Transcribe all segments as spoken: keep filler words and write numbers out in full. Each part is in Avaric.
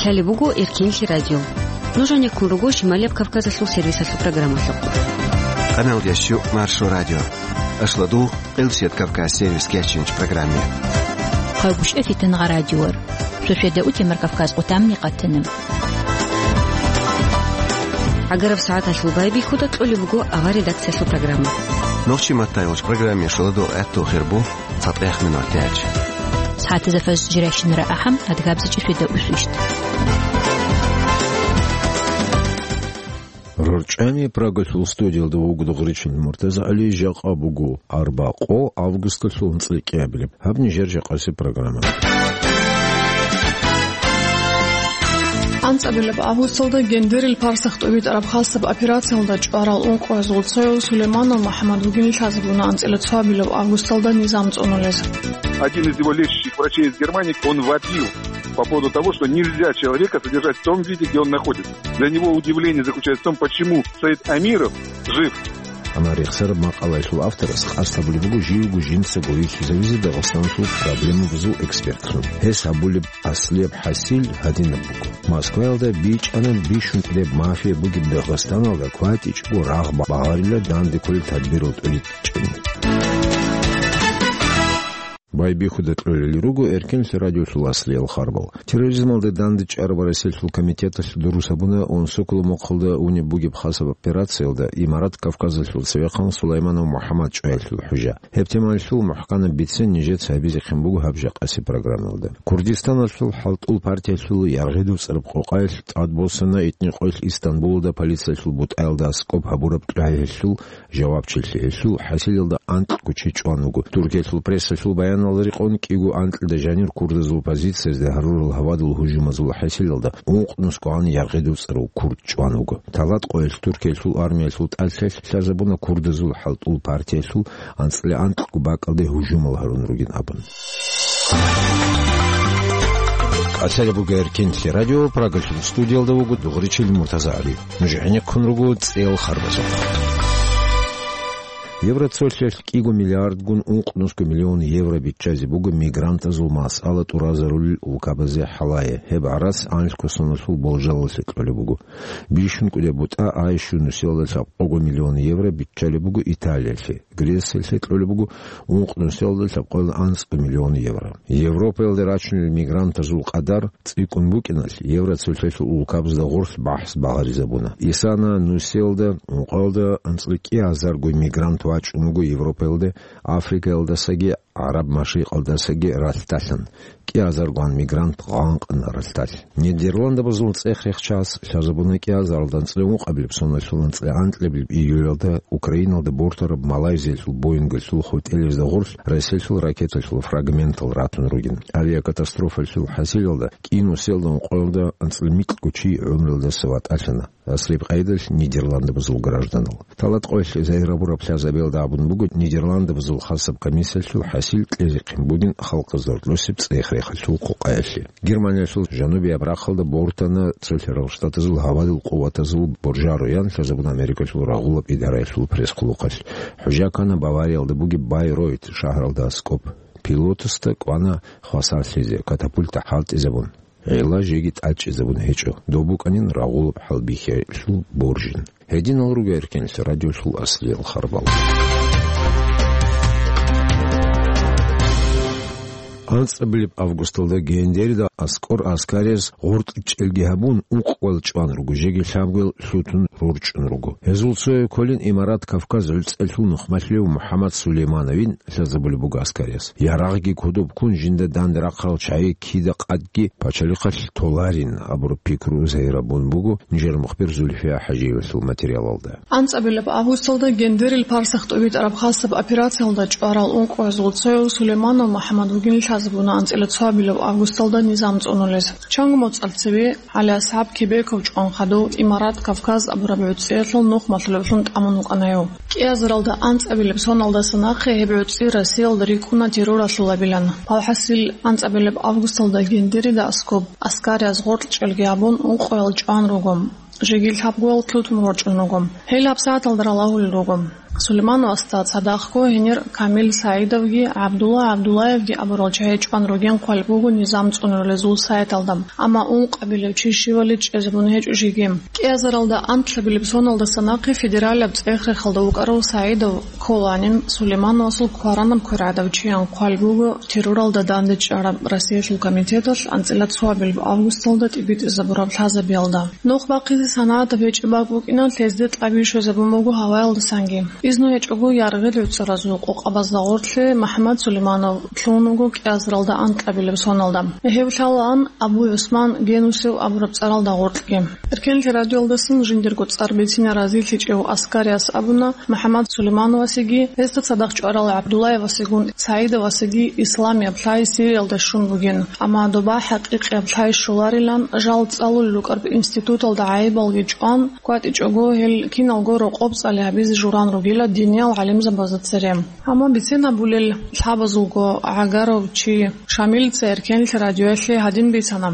Гьале буго Эркинлъи радио. Нуж гьанеккун руго Шималияб Кавказалъул сервисалъул программалъухъ. Къаналдияс щу Маршо радио. Ашладу, Къилсият Кавказ сервис кечинч программе. Хъайгъушъа фитангъа радиор. Шошеда утемар Кавказ къутамни къатана. ГӀагараб сагӀаталъул байбихьуда кьолеб буго авар редакциялъул программа. Нохчи маттайолч программе шоладо гӀатту хирбу. Цадгъех минутач. СагӀатазда фаз жирайщинара ахӀам, адгабзичӀи фида усвищт. РорчӀани Прагалъул студиялда вуго Дугъричил МуртазагӀали. Жакъа буго арбакъо августалъул анцӀила кӀиабилеб. Гьаб нижер жакъаси программа. АнцӀабилеб августалда гендерил парсах тӀубитӀараб хасаб операциялда чӀварал ункъоязул цояв Сулейманов МухӀаммад вугин лъазабуна анцӀила цоабилеб августалда низам цӀунулез. Один из его лечащих врачей из Германии, он вопил по поводу того, что нельзя человека содержать в том виде, где он находится. Для него удивление заключается в том, почему Саид Амиров жив. Амма рехсараб макъалаялъул авторас къасд гьабулеб буго живго жинцаго вихьизавизе Дагъистаналъул проблемабазул экспертцун. Гьес гьабулеб аслияб хӀасил гьадинаб буго. Москваялда бичӀчӀана бищун кӀудеб мафия бугеб Дагъистаналда кватӀичӀого рагъ багъарила данде кколел тадбирал тӀуритӀчӀани. Байбихьуда кьолел руго Эркинлъи радиолъул аслиял харбал. Терроризмалда дандечӀараб Россиялъул комитеталъ дурус гьабуна Онсоколо мухъалда унеб бугеб хасаб операциялда Имарат Кавказалъул цевехъан Сулайманов МухӀаммад чӀваялъул хӀужа. Гьеб темаялъул мухӀканаб бицен нижеца гьабизехъин буго гьаб жакъаси программалда. Курдистаналъул хӀалтӀул партиялъул ЯргъидовцӀараб къокъаялъ тӀадбосана итни къоялъ Истанбулалда полициялъул бутӀаялда аскӀоб гьабураб тӀагӀиялъул жавабчилъи. Гьелъул хӀасилалда анкьго чи чӀван вуго. Туркиялъул прессалъул баяналда рекъон, кӀиго анкьида жанир курдазул позициязда гьарурал гьавадул гьужумазул хӀасилалда ункънусгогӀан ЯргъидовцӀарав курд чӀван вуго. Талат къоялъ Туркиялъул армиялъул тӀалъалъ лъазабуна курдазул хӀалтӀул партиялъул анцӀила анкьго бакӀалде гьужумал гьарун ругин абун. Къасалеб буго Эркинлъи радио, Прагалъул студиялда вуго Дугъричил МуртазагӀали. Нуж гӀенеккун руго цӀел харбазухъ. Евроцолъиялъ кӀиго миллиардгун ункънусго миллион евро биччазе буго мигрантазул масъала тӀуразарулел улкабазе хӀалае. Гьеб гӀарац анлъго соналъул болжалалъе кьолеб буго. Бищун кӀудеб бутӀа айщу нусиялда лъабкъого миллион евро биччалеб буго Италиялъе. Грециялъе кьолеб буго ункънусиялда лъабкъоялда анцӀго миллион евро. Европаялде рачунел мигрантазул къадар цӀикӀкӀун букӀиналъ, Евроцолъиялъул улкабазда гъорлъ бахӀс багъаризабуна. Исана нусиялда, ункъоялда анцӀила кӀиазарго мигрант вачӀун вуго Европаялде, Африкаялдасаги ГӀараб машрикъалдасаги ралъдалъун. КӀиазаргун мигрант гъанкъана ралъдалъ. Нидерландабазул цӀех-рехчас лъазабуна кӀиазаралда анцӀила ункъабилеб соналъул анцӀила анкьабилеб июлалда Украиналда бортараб Малайзиялъул Боингалъул хутӀелезда гъорлъ Россиялъул ракеталъул фрагментал ратун ругин. Авиакатастрофаялъул хӀасилалда кӀиго нусиялда ункъоялда анцӀила микьго чи гӀумруялдаса ватӀалъана. Асриб къайдалъ Нидерландабазул гражданал. Талат къоялъ загьир гьабураб лъазабиялда абун буго Нидерландабазул хасаб комиссиялъул хӀасил кьезехъин бугин халкъазда гьоркьосеб цӀех-рехалъул къокъаялъе. Германиялъул жанубияб рахъалда бортана Цолъарал Штатазул гьавадул къуватазул боржароян лъазабун Америкалъул рагъулаб идараялъул пресс-къулухъалъ. ХӀужа ккана Бавариялда бугеб Байройт шагьаралда аскӀоб. Пилотасда кӀвана хвасарлъизе, катапульта хӀалтӀизабун. Гьела жеги тӀадчӀезабун гьечӀо, доб букӀанин рагъулаб хӀалбихьиялъул боржин. Гьединал руго Эркинлъи радиолъул аслиял харбал. АнцӀабилеб августалда Гендерида аскӀор аскарияз гъоркь чӀелги гьабун, ункъоял чӀван руго, жеги лъабгоял лъутун рорчӀун руго. Гьезул цояв кколин Имарат Кавказ гӀуцӀелъул нухмалъулев МухӀаммад Сулеймановин лъазабулеб буго аскарияс. Ярагъги кодоб ккун жинда данде рахъарал чагӀи кида къадги пачалихъалъ толарин абураб пикру загьирабун буго нижер мухбир Зульфия ХӀажиевалъул материалалда. АнцӀабилеб августалда Гендерил парсах тӀубитӀараб хасаб операциялда чӀварал ункъоязул цояв Сулейманов МухӀаммад вугин лъазабуна анцӀила цоабилеб августалда низам цӀунулез. Чанго моцӀалъ цеве ГӀали-АсхӀаб Кебеков чӀван хадув Имарат Кавказ абураб гӀуцӀиялъул нухмалъулевлъун тӀамун вукӀана гьев. КӀиазаралда анцӀабилеб соналдаса нахъе гьеб гӀуцӀи Россиялда рикӀкӀуна терроралъулабилан. Алхасил, анцӀабилеб августалда Гендерида аскоб аскарияз гъоркь чӀелги гьабун, ункъоял чӀван руго, жеги лъабгоял лъутун рорчӀун руго. Гьел гьабсагӀаталда ралагьулел руго. Сулеймановасда цадахъго гьенир Камил Саидовги ГӀабдулла ГӀабдуллаевги абурал чагӀи чӀван ругин хъвалеб буго низам цӀунарулезул сайталда, амма ункъабилев чи щивали чӀезабун гьечӀо жеги. КӀиазаралда анкьабилеб соналдаса нахъе федералияб цӀех-рехалда вукӀарав Саидов кколанин, Сулеймановасул кваранаб квер гӀадав чиян хъвалеб буго терроралда дандечӀараб Россиялъул комитеталъ анцӀила цоабилеб августалда тӀибитӀизабураб лъазабиялда. Нух бахъизе санагӀатаб гьечӀеб бакӀ букӀина, лъезде тӀаби щвезабун буго гьаваялдасанги. Изну гьечӀого яргъил гӀуцӀаразул къокъабазда гъоркье МухӀаммад Сулейманов лъугьун вуго кӀиазаралда анкьабилеб соналда. Гьев лъалаан Абу ГӀусман Генусев абураб цӀаралда гъоркьги. Эркенлъи радиоялдасан жиндирго цӀар бицине разилъичӀев Аскариас абуна, МухӀаммад Сулеймановасеги, гьесда цадахъ чӀварал ГӀабдуллаевасегун Саидовасеги исламияб лъай Сириялда щун бугин, амма доба хӀакъикъияб лъай щоларилан жал цӀалулел рукӀараб институталда гӀайибалги чӀван, кӀватӀичӀого гьел киналго рокъоб цӀали гьабизе журан ругила диниял гӀалимзабазда цере. Амма бицен абулел лъабазулго гӀагарав чи Шамилица Эркенлъи радиоялъе гьадин бицана.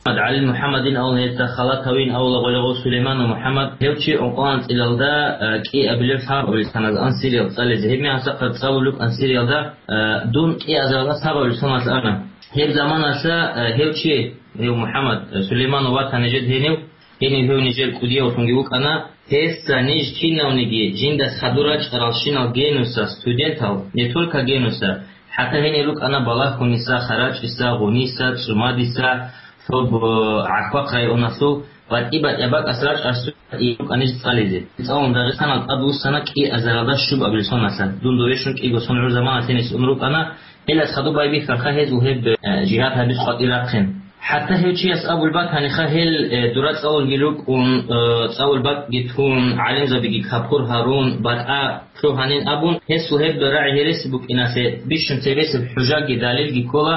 ГӀалил МухӀаммадин авун гьесда халатавин авула гъолагъо Сулейманов МухӀаммад, гьев чи ункъо анцӀилалда, э, кӀиабилеб лъабабилсаназ ансириялда цӀализе. Гьеб мехалъ цӀалулев анцӀилалда, э, дун кӀиазаралда лъабабилсаналъ ана. Гьеб заманалъа, э, гьев чи, гьев МухӀаммад, э, Сулейманов ватани жед гьенив, гьенив гьев нижер кӀудиявлъунги вукӀана. Гьесда ниж кинавниги жиндас хадур рачӀаралщинал Генуса студентал, не только Генуса, хӀатта гьенир рукӀана Балагьуниса, Харачиса, Гъуниса, ЦӀумадиса, цо бу-, ГӀахьвахъ районалъул батӀи-батӀияб бакӀас рачӀарсу рукӀана ниж цӀализе. ЦӀалун Дагъистаналда тӀадвуссана кӀиазаралда щубабилсоналъа. Дун дове щун кӀиго сон гӀур заманалъ гьениса ун рукӀана, гьелас хадуб байбихьарха гьезул гьеб, э, жигьад гьабиз къватӀир рахъин. ХӀатта гьев чияс абулеб батаниха гьел, э, дура цӀалулги рукӀун, э, цӀалул бакӀги тун, гӀалимзабиги капур гьарун, батӀа лъугьанин абун, гьесул гьеб рагӀи гьереси букӀиналъе бищун цебесеб хӀужаги далилги ккола,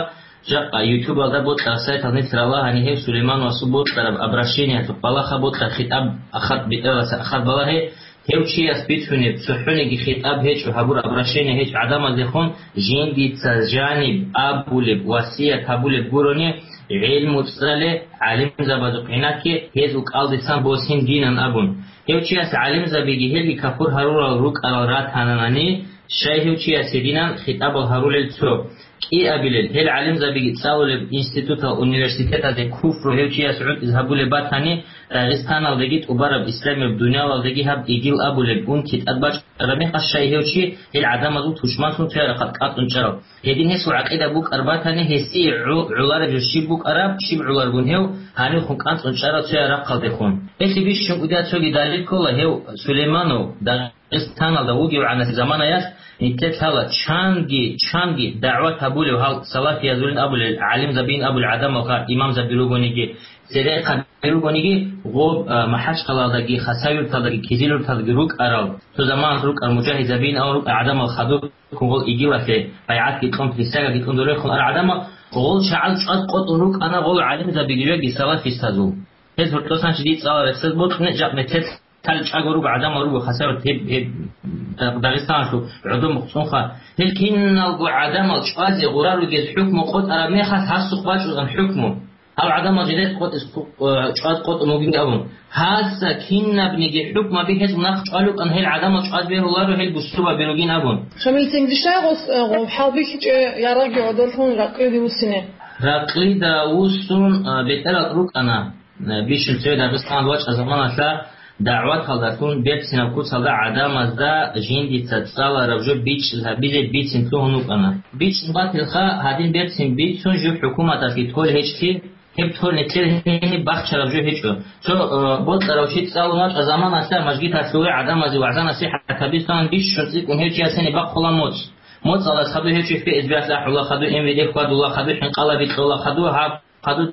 жакъа ютубалда бокьараб сайтал нилъ ралагьани гьев Сулеймановасул бокьараб обращениялъухъ балагьа, бокьараб хитӀаб ахат бетӀералдаса ахат балагье, гьев чияс бицунеб, цохӀониги хитӀаб гьечӀо, гьабураб обращение гьечӀо гӀадамаздехун, жиндица жаниб абулеб, васият гьабулеб гурони, гӀелму цӀале, гӀалимзабазухъ гӀинакке, гьезул кӀалдисан босин динан абун. Гьев чияс гӀалимзабиги гьелги капур гьарурал рукӀарал ратананани, щай гьев чияс гьединан хитӀабал гьарулел цо? КӀиабилел, гьел гӀалимзабиги цӀалулеб институтал, университеталде куфру гьев чияс гӀунтӀизе гьабулеб батани, Дагъистаналдеги тӀубараб исламияб дуниялалдеги гьаб ИГИЛ абулеб унти тӀадбачӀараб мехалъ, щай гьев чи гьел гӀадамазул тушманлъун цояб рахъалъ кӀанцӀун чӀарав? Гьедин гьесул гӀакъида букӀар батани, гьесие гӀу-, гӀолареб жо щиб букӀараб, щиб гӀоларгун гьев гьанивхун кӀанцӀун чӀарав цояб рахъалдехун. Гьелъи бищун кӀудияб цоги далил ккола гьев Сулейманов, Дагъ-, Дагъистаналда вугевгӀанасеб заманаялъ нилъер лъала чанги, чанги дагӀват гьабулев гьал салафиязулин абулел, гӀалимзабиин абулел гӀадамалха, имамзаби ругониги, церехъаби ругониги, гъоб, а, МахӀачхъалаялдаги, Хасавюрталдаги, Кизилюрталдаги рукӀарал, цо заманалъ рукӀарал мужагьидзабиин абун рукӀарал гӀадамал хадуб ккун гъол ИГИЛалъе байгӀатги кьун, присягаги кьун дорехун арал гӀадамал, гъол чагӀаз чӀваз къотӀун рукӀана гъол гӀалимзабиги жеги салафистазул. Гьез гьоркьосан чи дие цӀаларесез бокьуна, жакъ метер Лъал чӀаго руго гӀадамал руго хасават гьеб, гьеб, Дагъистаналъул гӀодор мухъцӀунха. Гьел киналго гӀадамал чӀвазе гъура ругез хӀукму къотӀараб мехалъ гьасухъ бачӀунан хӀукму. Гьал гӀадамал жидер къотӀис, э, чӀваз къотӀун вугин абун. Гьасда кинабниги хӀукмаби гьез нахъ чӀвалукӀан гьел гӀадамал чӀваз бегьуларо, гьел бусурбаби ругин абун. Шамил, тенги щай гъос, э, гъо-, хӀалбихьичӀеб ярагъги гӀодорлъун ракълиде вуссине? Ракълида вуссун, э, бетӀерал рукӀана. Бищун цеве Дагъистан вачӀа заманалъа дагӀваталдалъун берцинаб куцалда гӀадамазда жиндица цӀалараб жо бичӀчӀи гьабизе бицин лъугьун вукӀана. БичӀчӀун батилха, гьадин берцин бицун жив хӀукуматалъги тол гьечӀлъи, гьеб тол нилъер гьениб бахчараб жо гьечӀо. Цо, э, бокьарав чи цӀалун вачӀа заманалъа мажгиталъуве гӀадамазе вагӀза-насихӀат гьабизе бищун цӀикӀкӀун гьев чияс гьениб бахъула моцӀ. МоцӀалдаса хадуй гьев чи Ф С Б-алъ ахӀула, хадуй М В Д хьвадула, хадуй хӀинкъалаби кьола, хадуй гьаб хадуб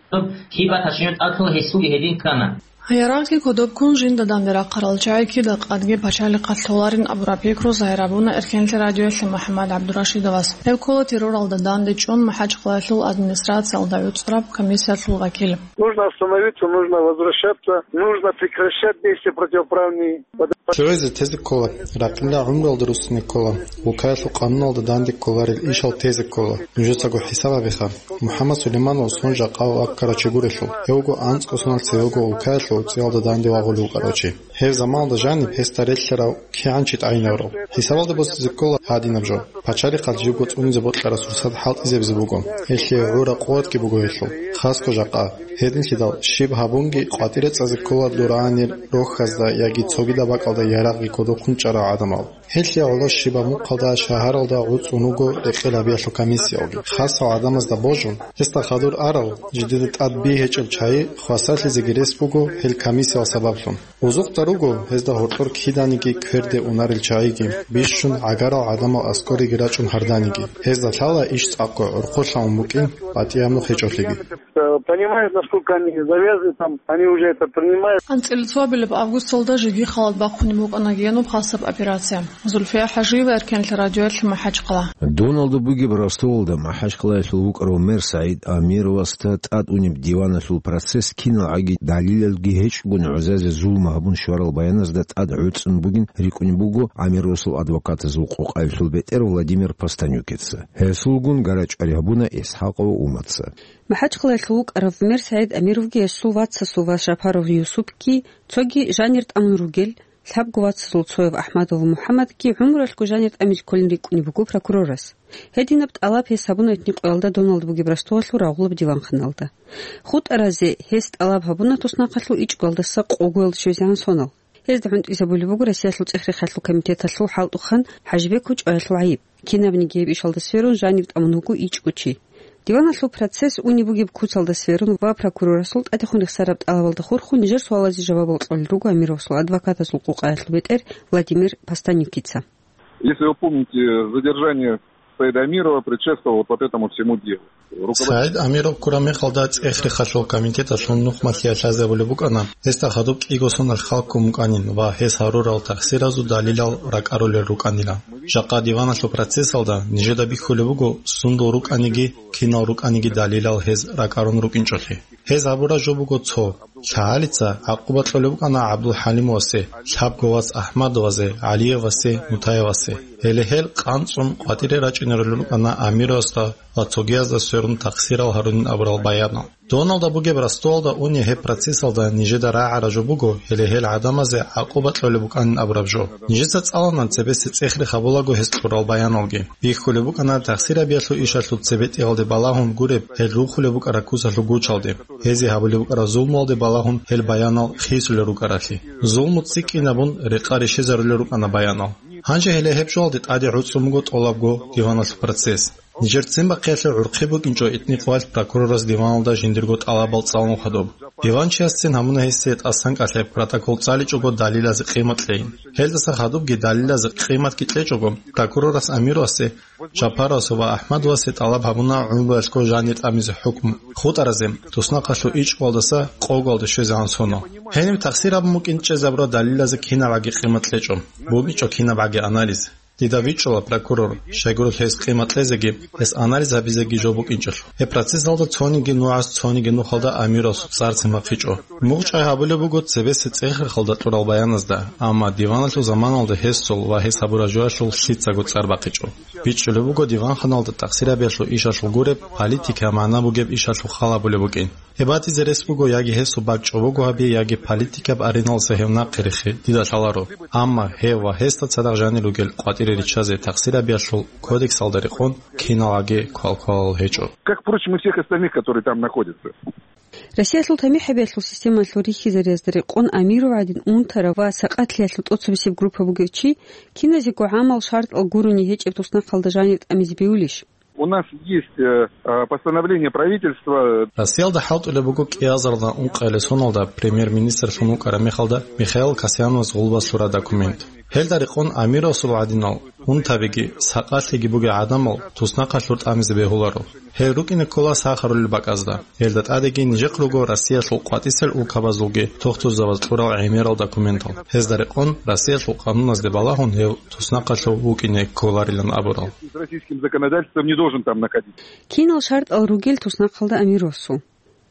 кибат гьачинаб тӀадлъун гьесулги гьедин ккана. Ярагъги кодоб ккун жинда данде рахъарал чагӀи кида къадги пачалихъалъ толарин абураб пикру загьир гьабуна Эркенлъи радиоялъе МухӀаммад ГӀабдурашидовас. Гьев ккола терроралда данде чӀун МахӀачхъалаялъул администрациялда гӀуцӀраб комиссиялъул вакил. Нужно остановиться, нужно возвращаться, нужно прекращать действия противоправные. ЧӀугӀизе тезе ккола, ракъинда гӀумруялда руссине ккола, улкаялъул къануналда данде кколарел ишал тезе ккола. Нужецаго хӀисаб гьабиха. МухӀаммад Сулейманов сун жакъа ваккарав чи гурелъул. Гьев вуго анцӀго соналъ цевего улкаялъ гӀуцӀиялда данде вагъулев вукӀарав чи. Гьеб заманалда жаниб гьесда релълъарав кигӀан чи тӀагӀинаврав. ХӀисабалда босизе ккола гьадинаб жо. Пачалихъалъ живго цӀунизе бокьарасул сад хӀалтӀизабизе буго. Гьелъие гӀура къуватги буго гьелъул, хасго жакъа. Гьединлъидал щиб гьабунги къватӀире цӀазе ккола дуранир рохьазда яги цогидаб бакӀалда ярагъги кодоб ккун чӀарал гӀадамал. Гьелъие гӀоло щибаб мухъалда шагьаралда гӀуцӀун вуго рекъел гьабиялъул комиссиялги. Хасал гӀадамазда божун, гьесда хадур арал, жидеда тӀад би гьечӀеб чагӀи хвасарлъизеги рес буго гьел комиссиял сабаблъун. Узухъда руго гьезда гьоркьор киданиги кверде унарел чагӀиги, бищун гӀагарал гӀадамал аскӀориги рачӀун гьарданиги. Гьезда лъала иш цӀакъго гӀурхъулъа ун букӀин, батӀияб нух гьечӀолъиги. Э, понимают, насколько они завязаны, там, они уже это принимают. АнцӀила цоабилеб августалда жеги халат бахъунеб букӀана гьениб хасаб операция. Зульфия ХӀажиева, Эркенлъи радиоялъ, МахӀачхъала. Доналда бугеб Ростовалда МахӀачхъалаялъул вукӀарав мэр СагӀид Амировасда тӀад унеб диваналъул процесс киналгӀаги далилалги гьечӀогун гӀузазе зулму гьабун щварал баяназда тӀад гӀуцӀун бугин рикӀкӀунеб буго Амировасул адвокатазул къокъаялъул бетӀер Владимир Постанюкица. Гьесулгун гарачӀвари гьабуна ИсхӀакъов Умаца. МахӀачхъалаялъул вукӀарав мер СагӀид Амировги гьесул вацасул вац Жапаров Юсупги, цоги жанир тӀамун ругел, лъабго вацазул цояв АхӀмадов МухӀаммадги гӀумруялъго жанир тӀамизе кколин рикӀкӀунеб буго прокурорас. Гьединаб тӀалаб гьес гьабуна итни къоялда доналда бугеб Ростовалъул рагъулаб диванханалда. ХутӀаразе гьес тӀалаб гьабуна туснахъалъул ичӀго-, ичӀгоялдаса къогоялде щвезегӀан сонал. Гьезда хӀунтӀизабулеб буго Россиялъул цӀехрехалъул комитеталъул хӀалтӀухъан ХӀажибековил чӀваялъул гӀайиб. Кинабниги гьеб ишалда сверун жанив тӀамун вуго ичӀго чи. Диваналъул процесс унеб бугеб куцалда сверун ва прокурорасул тӀадехун рехсараб тӀалабалда хурхун нижер суалазе жавабал кьолел руго Амировасул адвокатазул къокъаялъул бетӀер Владимир Постанюкица. Если вы помните, задержание Саида Амирова предшествовало вот этому всему делу. Руководитель СагӀид Амиров ккураб мехалда цӀехрехалъул комитеталъул нухмалъиялъ лъазабулеб букӀана, гьесда хадуб кӀиго соналъ хал ккун букӀанин ва гьес гьарурал тахсиразул далилал ракӀарулел рукӀанила. Жакъа диваналъул процессалда нижеда бихьулеб буго сундул рукӀаниги, кинал рукӀаниги далилал гьез ракӀарун рукӀинчӀолъи. Гьез гьабураб жо буго цо: лъагӀалица гӀакъуба кьолеб букӀана ГӀабдулхӀалимовасе, лъабго вац АхӀмадовазе, ГӀалиевасе, Мутаевасе. Гьеле гьел къанцӀун къватӀире рачӀинарулел рукӀана Амировасда ва цогиязда сверун тахсирал гьарунин абурал баянал. Доналда бугеб Ростовалда уни гьеб процессалда нижеда рагӀараб жо буго, гьеле гьел гӀадамазе гӀакъуба кьолеб букӀанин абураб жо. Нижеца цӀалана цебесе цӀехрехабулаго гьез кьурал баяналги. Бихьулеб букӀана тахсирабиялъул ишалъул цебетӀиялде балагьун гуреб гьел рухулеб букӀараб куцалъул гучалде, гьезие гьабулеб букӀараб зулмуялде балагьун гьел баянал хисулел рукӀаралъи. Зулму цӀикӀкӀинабун рекъа рещезарулел рукӀана баянал. Гьанже гьеле гьеб жоялде тӀаде гӀуцӀун буго тӀолабго диваналъул процесс. Нижер ццин бахъиялъе гӀурхъи букӀинчӀо итни къоялъ прокурорас диваналда жиндирго тӀалабал цӀалун хадуб. Диванчиясцин гьабуна гьесие тӀасан кӀалъай протокол цӀаличӀого далилазе къимат кьейин. Гьелдаса хадубги далилазе къиматги кьечӀого, прокурорас Амировасе, Жапаровасе ва АхӀмадовасе тӀалаб гьабуна гӀумруялъго жанир тӀамизе хӀукму, хутӀаразе, туснахъалъул ичӀгоялдаса къоголде щвезегӀан сонал. Гьениб тахсир гьабун букӀин чӀезабураб далилазе кинабгӀаги къимат кьечӀо, букӀинчӀо кинабгӀаги анализ. Дида вичӀчӀула прокурор, щайгурелъул гьес къимат кьезеги, гьес анализ гьабизеги жо букӀинчӀелъул. Гьеб процессалда цониги нугӀас цониги нухалда Амировасул цӀар цин бахъичӀо. МугӀчӀай гьабулеб буго цебесеб цӀехрехалда кьурал баяназда, амма диваналъул заманалда гьесул ва гьес гьабураб жоялъул лъицаго цӀар бахъичӀо. БичӀчӀулеб буго диванханалда тахсирабиялъул ишалъул гуреб политикаялъул магӀна бугеб ишалъул хал гьабулеб букӀин. Гьеб батизе рес буго яги гьесул бакӀ чӀобого гьабе, яги политикаб ареналдаса гьев нахъе рехе, дида лъаларо. Амма гьев ва гьесда цадахъ жанир ругел къватӀире риччазе тахсирабиялъул кодексалда рекъон киналгӀаги квалквалал гьечӀо. Как, впрочем, и всех остальных, которые там находятся. Россиялъул тамихӀабиялъул системалъул рихьизариязда рекъон Амиров гӀадин унтарав ва сакъатлъиялъул тӀоцебесеб группа бугев чи киназего гӀамал шартӀал гурони гьечӀеб туснахъалда жанир тӀамизе бевулищ? У нас есть, э, э, постановление правительства. Россиялда хӀалтӀулеб буго кӀиазарда ункъоялде соналда премьер-министрлъун вукӀараб мехалда Михаил Касьяновас гъулбас лъураб документ. Гьелда рекъон Амировасул гӀадинал унтабиги, сакъатлъиги бугел гӀадамал туснахъалъур тӀамизе бегьуларо. Гьел рукӀине ккола сахарулел бакӀазда. Гьелда тӀадеги нижехъ руго Россиялъул къватӀисел улкабазулги тухтурзабаз кьурал гӀемерал документал. Гьезда рекъон Россиялъул къануназде балагьун гьев туснахъалъув вукӀине кколарилан абурал. С российским законодательством не должен там находиться. Кинал шартӀал ругел туснахъалда Амировасул?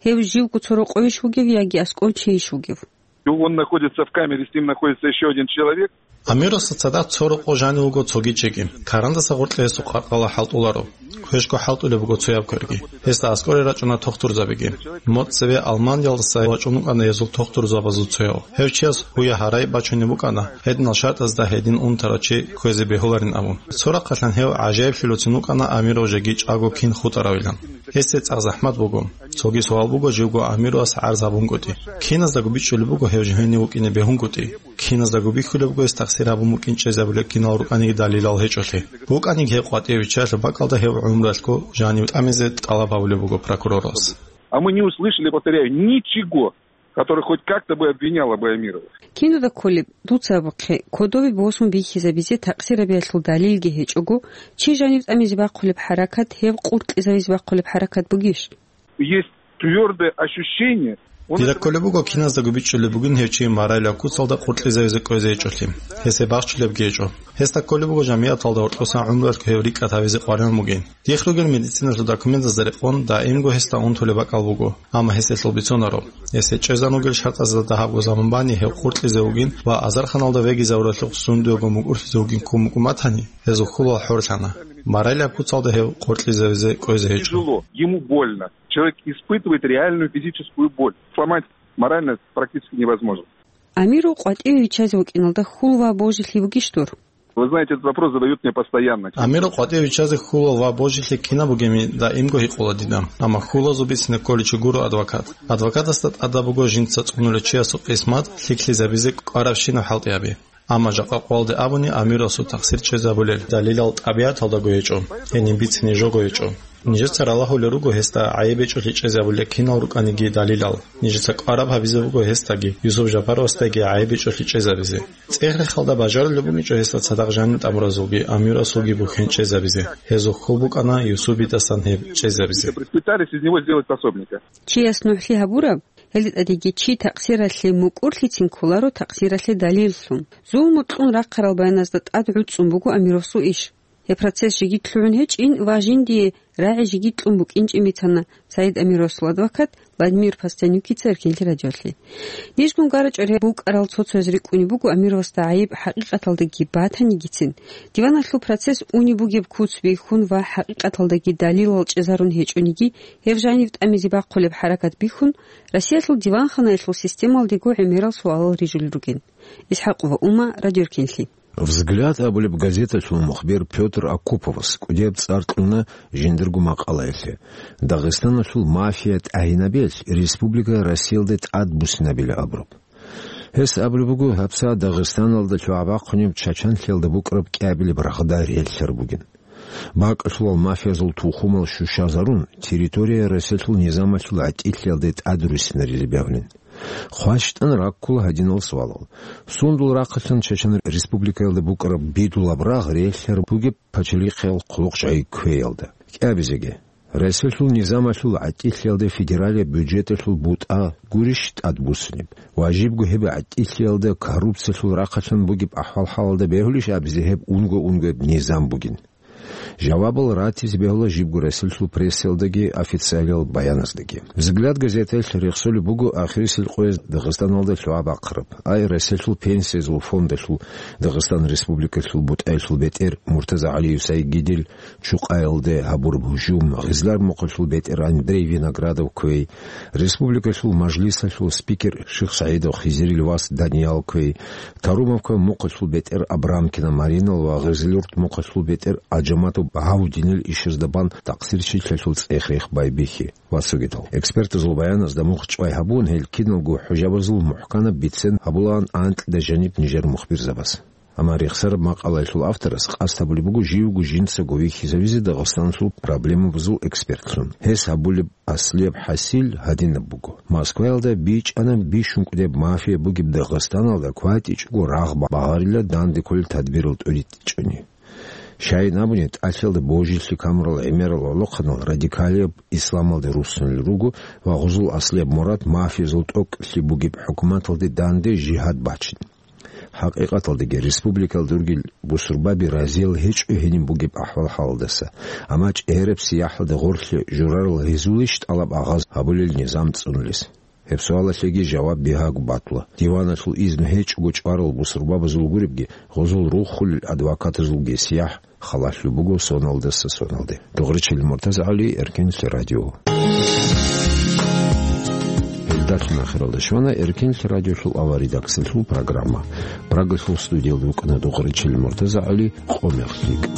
Гьев живго цо рокъовищ вугев яги аскӀов чийищ вугев? Он находится в камере, с ним находится ещё один человек. Амировасда цадахъ цо рокъов жанив вуго цоги чиги. Карандаса гъоркье гьесул къаркъала хӀалтӀуларо. Пешго хӀалтӀулеб буго цояб кверги. Гьесда аскӀоре рачӀуна тохтурзабиги. Моцеве Алманиялдаса вачӀун вукӀана гьезул тохтурзабазул цояв. Гьев чияс гьуя гьарай бачунеб букӀана, гьединал шартӀазда гьедин унтарав чи кквезе бегьуларин абун. Цо рахъалъан гьев гӀажаиблъулевцин вукӀана Амиров жеги чӀаго кин хутӀаравилан. Гьесде цӀакъ захӀмат буго. Цоги суал буго, живго Амировас гӀарз гьабунгутӀи. Киназдаго бичӀчӀулеб буго гьев жо гьенив вукӀине бегьунгутӀи. Киназдаго бихьулеб буго гьес тахсир гьабун букӀин чӀезабулеб кинал рукӀаниги далилал гьечӀолъи. БукӀаниги гьев къватӀиве виччалъе бакӀалда гьев гӀумралъго жанив тӀамизе тӀалаб гьабулеб буго прокуроралас. А мы не услышали, повторяю, ничего, который хоть как-то бы обвиняло бы Амирова. Кинуда кколеб, дуца абухъе, кодове босун бихьизабизе такъсирабиялъул далилги гьечӀого, чи жанив тӀамизе бахъулеб хӀаракат гьеб къуркьизавизе бахъулеб хӀаракат бугищ? Есть твёрдое ощущение, он... Дида кколеб буго, киназдаго бичӀчӀулеб бугин гьев чи моралияб куцалда къуркьизавизе кӀвезе гьечӀолъи. Гьесде бахчулебги гьечӀо. Гьесда кколеб буго жамигӀаталда гьоркьосан гӀумруялъго гьев рикӀкӀад гьавизе къваригӀун бугин. Дихъ ругел медициналъул документазда рекъон даимго гьесда унтулеб бакӀал буго, амма гьес гьелъул бицунаро. Гьесде чӀезан ругел шартӀазда дагьабго заман бани гьев къуркьизе вугин ва азарханалда вегизавуралъухъ сундуего мукӀурлъизе вугин ккун букӀун батани, гьезул хьулал хӀорлъана. Моралияб куцалда гьев къуркьизавизе кӀвезе гьечӀо. Тяжело, ему больно. Человек испытывает реальную физическую боль. Сломать морально практически невозможно. Амиров къватӀиве виччазе вукӀиналда хьул ва божилъи бугищ дур? Вы знаете, этот вопрос задают мне постоянно. Амиров къватӀиве виччазе хьул ва божилъи кинаб бугебин даимго гьикъула дида. Амма хьулазул бицине кколичи гуро адвокат. Адвокатасда тӀадаб буго жинца цӀунулев чиясул къисмат лъикӀлъизабизе кӀварабщинаб хӀалтӀи гьаби. Амма жакъа къоялде абуни, Амировасул такъсир чӀезабулел далилал тӀабигӀаталдаго гьечӀо, гьениб бицине жого гьечӀо. Нижеца ралагьулел руго гьесда гӀайиб гьечӀолъи чӀезабулел кинал рукӀаниги далилал. Нижеца кӀвараб гьабизе буго гьесдаги, Юсуп Жапаровасдаги гӀайиб гьечӀолъи чӀезабизе. ЦӀех-рехалда бажарулеб букӀинчӀо гьесда цадахъ жанив тӀамуразулги Амировасулги бухьен чӀезабизе. Гьезул хьул букӀана Юсупидасан гьеб чӀезабизе. Пытались из него сделать пособника. Чияс нугӀлъи гьабураб, гьелда тӀадеги чи такъсиралъе мукӀурлъицин кколаро такъсиралъе далиллъун. Зулму кьун рахъарал баяназда тӀад гӀуцӀцӀун буго Амировасул иш. Гьеб процесс жеги лъугӀун гьечӀин ва жиндие рагӀи жеги кьун букӀинчӀин бицана Саид Амировасул адвокат Владимир Постенюкица Эркенлъи радиолъе. Нижгун гьарачӀо букӀарал цо-цояз рикӀкӀунеб буго Амировасда гӀайиб хӀакъикъаталдаги батанигицин, диваналъул процесс унеб бугеб куц бихьун ва хӀакъикъаталдаги далилал чӀезарун гьечӀониги, гьев жанив тӀамизе бахъулеб хӀаракат бихьун, Россиялъул диванханаялъул системалдего гӀемерал суалал рижулел ругин. ИсхӀакъова Ума, Радио Эркенлъи. «Взгляд» абулеб газеталъул мухбир Пётр Акуповас кӀудияб цӀар кьуна жиндирго макъалаялъе, Дагъистаналъул мафия тӀагӀинабиялъ республика Россиялда тӀадбуссинабила абураб. Гьес абулеб буго, гьабсагӀат Дагъистаналда лъугӀа-бахъунеб Чачанлъиялда букӀараб кӀиабилеб рагъда релълъараб бугин. БакӀалъулал мафиязул тухумал щущазарун, территория Россиялъул низамалъул гӀатӀилъиялда тӀадруссинаризе бегьулин. ХващтӀан раккула гьадинал суалал: сундул рахъалъан Чечен Республикаялда букӀараб бидулаб рагъ релълъараб бугеб пачалихъиял хъулухъ жай кквеялда? КӀиабизеги. Россиялъул низамалъул гӀатӀилъиялда федералияб бюджеталъул бутӀа гурищ тӀадбуссунеб? Ва жибго гьеб гӀатӀилъиялда коррупциялъул рахъалъан бугеб ахӀвал-хӀалалда бегьулищ абизе гьеб унго-унгояб низам бугин? Жавабал ратизе бегьула жибго Россиялъул прессаялдаги официалиял баяназдаги. «Взгляд» газетаялъ рехсолеб буго ахирисел къояз Дагъистаналда лъугӀа бахъараб, ай Россиялъул пенсиязул фондалъул Дагъистан Республикалъул бутӀаялъул бетӀер Муртаза ГӀалиев Сайгидил Чукъаялде гьабураб гьужум, Гъизлар мухъалъул бетӀер Андрей Виноградов кквей, Республикалъул Мажлисалъул спикер Шихсагьидов Хизирил вас Даниял кквей, Тарумовка мухъалъул бетӀер Абрамкина Маринал ва Гъизлюрт мухъалъул бетӀер ГӀаджаматов Багьавудинил ишазда бан такъсирчилъиялъул цӀех-рех байбихьи ва цогидал. Экспертазул баяназда мухъ чӀвай гьабун, гьел киналго хӀужабазул мухӀканаб бицен гьабулаан анкьида жаниб нижер мухбирзабаз. Амма рехсараб макъалаялъул авторас къасд гьабулеб буго живго жинцаго вихьизавизе Дагъистаналъул проблемабазул экспертлъун. Гьес гьабулеб аслияб хӀасил гьадинаб буго: Москваялда бичӀчӀана бищун кӀудеб мафия бугеб Дагъистаналда кватӀичӀого рагъ багъарила данде кколел тадбирал тӀуритӀичӀони. Щайин абуни, тӀалъиялда божилъи камурал гӀемерал гӀолохъанал радикалияб исламалде руссунел руго ва гъузул аслияб мурад мафиязул тӀокӀлъи бугеб хӀукуматалде данде жигьад бачин. ХӀакъикъаталдаги, республикалда ругел бусурбаби разиял гьечӀо гьениб бугеб ахӀвал-хӀалалдаса, амма чӀегӀераб сияхӀалда гъорлъе журарал гьезулищ тӀалаб-агъаз гьабулел низам цӀунулес? Гьеб суалалъеги жаваб бигьаго батула. Диваналъул изну гьечӀого чӀварал бусурбабазул гуребги, гъозул руххулел адвокатазулги сияхӀ халалъулеб буго соналдаса соналде. Догъричилин МуртазагӀали, Эркенлъи радио. Гьелдалъун ахиралда щвана Эркенлъи радиолъул аваридаксалъул программа. Прагалъул студиялда вукӀана Догъричилин МуртазагӀали, къо мех лъикӀ.